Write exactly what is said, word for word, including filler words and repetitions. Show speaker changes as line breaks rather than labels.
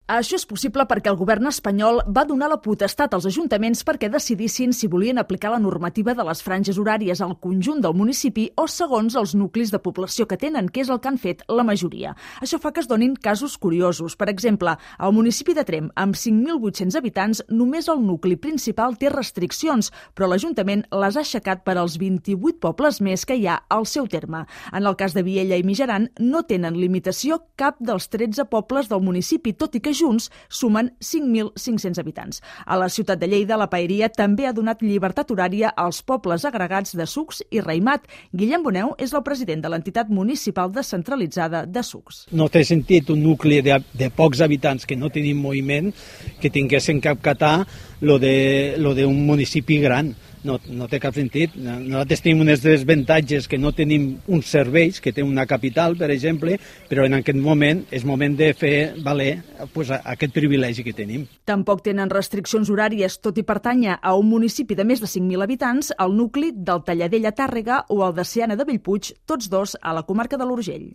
Això és possible perquè el govern espanyol va donar la potestat als ajuntaments perquè decidissin si volien aplicar la normativa de les franges horàries al conjunt del municipi o segons els nuclis de població que tenen, que és el que han fet la majoria. Això fa que es donin casos curiosos. Per exemple, al municipi de Tremp, amb cinc mil vuit-cents habitants, només el nucli principal té restriccions, però l'Ajuntament les ha aixecat per als vint-i-vuit pobles més que hi ha al seu terme. En el cas de Viella i Mijaran, no tenen limitació cap dels tretze pobles del municipi, tot i que junts sumen cinc mil cinc-cents habitants. A la ciutat de Lleida, la Paeria també ha donat llibertat horària als pobles agregats de Sucs i Raïmat. Guillem Boneu és el president de l'entitat municipal descentralitzada de Sucs.
No té sentit un nucli de, de pocs habitants que no tenim moviment que tinguessin que acatar lo de, lo d'un municipi gran. No, no té cap sentit. Nosaltres tenim unes desavantatges que no tenim uns serveis, que té una capital, per exemple, però en aquest moment és moment de fer valer pues, aquest privilegi que tenim.
Tampoc tenen restriccions horàries, tot i pertànyer a un municipi de més de cinc mil habitants, el nucli del Talladell a Tàrrega o el de Seana de Bellpuig, tots dos a la comarca de l'Urgell.